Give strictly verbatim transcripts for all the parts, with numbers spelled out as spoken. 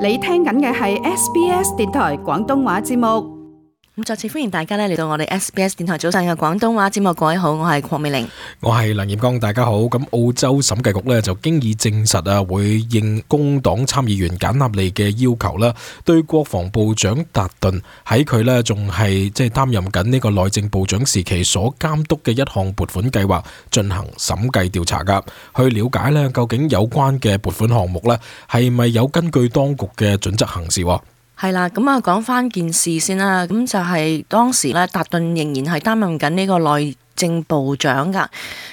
你聽緊嘅係 S B S 電台廣東話節目。咁再次歡迎大家咧嚟到我哋 S B S 電台早上嘅廣東話節目。各位好，我係鄺美玲，我係梁艷剛，大家好。咁澳洲審計局咧就經已證實啊，會應工黨參議員簡納利嘅要求啦，對國防部長達頓喺佢咧仲係即係擔任緊呢個內政部長時期所監督嘅一項撥款計劃進行審計調查噶，去了解咧究竟有關嘅撥款項目咧係咪有根據當局嘅準則行事。係啦，咁啊講翻件事先啦，咁就係當時咧達頓仍然係擔任緊呢個內政部長噶，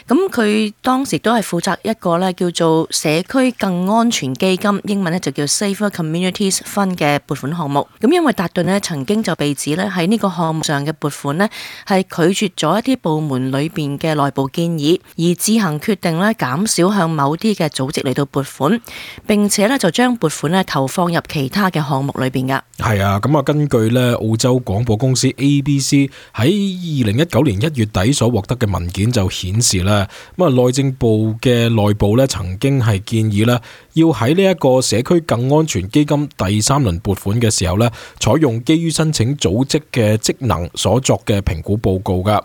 咁佢當時都係負責一個咧叫做社區更安全基金，英文咧就叫 Safer Communities Fund 嘅撥款項目。咁因為達頓咧曾經就被指咧喺呢個項目上嘅撥款咧係拒絕咗一啲部門裏邊嘅內部建議，而自行決定咧減少向某啲嘅組織嚟到撥款，並且咧就將撥款咧投放入其他嘅項目裏邊噶。係啊，咁啊根據咧澳洲廣播公司 A B C 喺二零一九年一月底所獲得嘅文件就顯示啦，咁啊內政部嘅內部咧曾經係建議啦，要喺呢一個社區更安全基金第三輪撥款嘅時候咧，採用基於申請組織嘅職能所作嘅評估報告噶，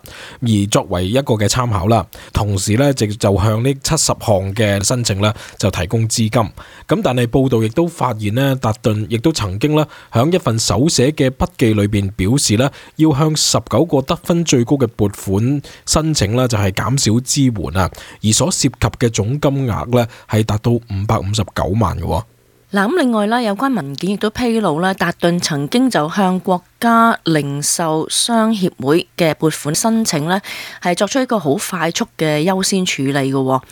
而作為一個嘅參考啦。同時咧，就就向呢七十項嘅申請咧就提供資金。咁但係報道亦都發現咧，達頓亦都曾經咧響一份手寫嘅筆記裏邊表示咧，要向十九個得分最高嘅撥款申請咧就係減少支援啊，而所涉及嘅總金額咧係達到五百五十九萬嘅。嗱，咁另外咧，有關文件亦都披露咧，達頓曾經就向國家零售商協會嘅撥款申請咧，係作出一個好快速嘅優先處理嘅。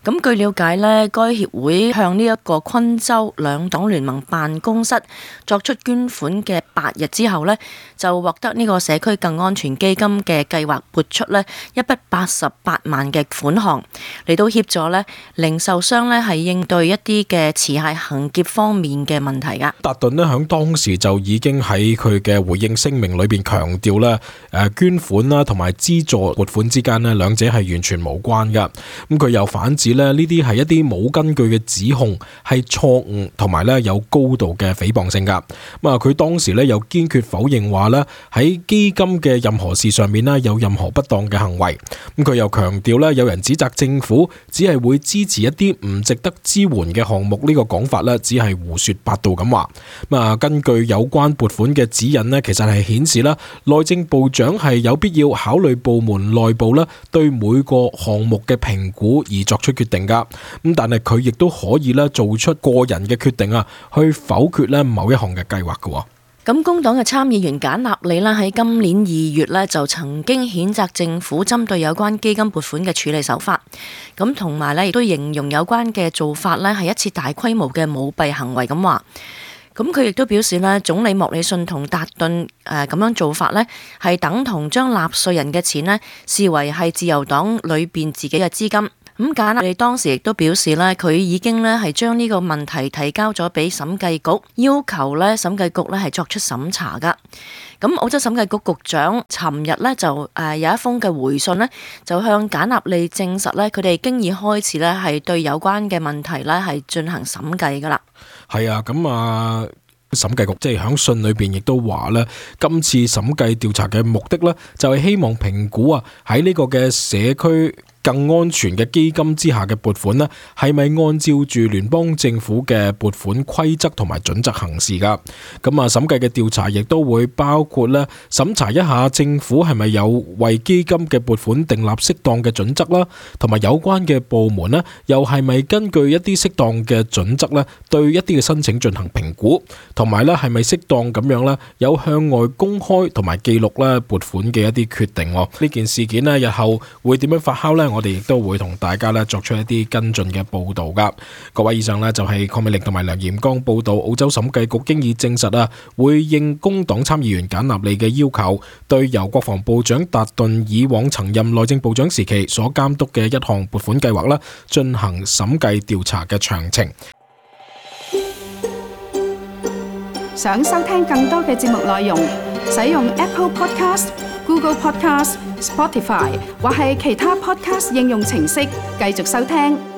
咁據了解咧，該協會向呢一個昆州兩黨聯盟辦公室作出捐款嘅八日之後咧，就獲得呢個社區更安全基金嘅計劃撥出咧一筆八十八萬嘅款項嚟到協助咧零售商咧係應對一啲嘅持械行劫方面嘅問題噶。達頓咧響當時就已經喺佢嘅回應聲明裏邊強調咧，誒捐款啦同埋資助撥款之間咧兩者係完全無關噶。咁佢又反指咧呢啲係一啲冇根據嘅指控，係錯誤同埋咧有高度嘅誹謗性噶。咁啊佢當時咧又堅決否認話咧喺基金嘅任何事上面咧有任何不當嘅行為。咁佢又強調咧有人指責政府只係會支持一啲唔值得支援嘅項目，呢個講法咧只係係胡說八道咁話。咁啊，根據有關撥款嘅指引呢，其實係顯示啦，內政部長係有必要考慮部門內部啦對每個項目嘅評估而作出決定噶。咁但係佢亦都可以咧做出個人嘅決定啊，去否決咧某一項嘅計劃噶。咁工黨嘅參議員簡納利啦喺今年二月咧就曾經譴責政府針對有關基金撥款嘅處理手法，咁同埋咧亦都形容有關嘅做法咧係一次大規模嘅舞弊行為咁話。咁佢亦都表示咧，總理莫里遜同達頓誒咁樣做法咧係等同將納稅人嘅錢咧視為係自由黨裏邊自己嘅資金。咁簡納利當時亦都表示咧，佢已經咧係將呢個問題提交咗俾審計局，要求咧審計局咧係作出審查噶。咁澳洲審計局局長尋日咧就誒有一封嘅回信咧，就向簡納利證實咧，佢哋經已開始咧係對有關嘅問題咧係進行審計噶啦。係啊，咁啊。審計局即係響信裏邊亦都話咧，今次審計調查嘅目的咧，就係希望評估啊喺呢個嘅社區更安全嘅基金之下嘅撥款呢，係咪按照住聯邦政府嘅撥款規則同埋準則行事噶？咁啊，審計嘅調查亦都會包括咧審查一下政府係咪有為基金嘅撥款訂立適當嘅準則啦，同埋有關嘅部門呢，又係咪根據一啲適當嘅準則咧，對一啲嘅申請進行評估，同埋咧係咪適當咁樣咧有向外公開同埋記錄咧撥款嘅一啲決定？呢件事件呢，日後會點樣發酵呢？我哋亦都會同大家咧作出一啲跟進嘅報導噶。各位，以上呢就係鄺美玲同埋梁艷剛報導，澳洲審計局經已證實啊，會應工黨參議員簡納利嘅要求，對由國防部長達頓以往曾任內政部長時期所監督嘅一項撥款計劃啦，進行審計調查嘅詳情。想收聽更多嘅節目內容，使用 Apple Podcast、Google Podcast、Spotify 或係其他 Podcast 應用程式繼續收聽。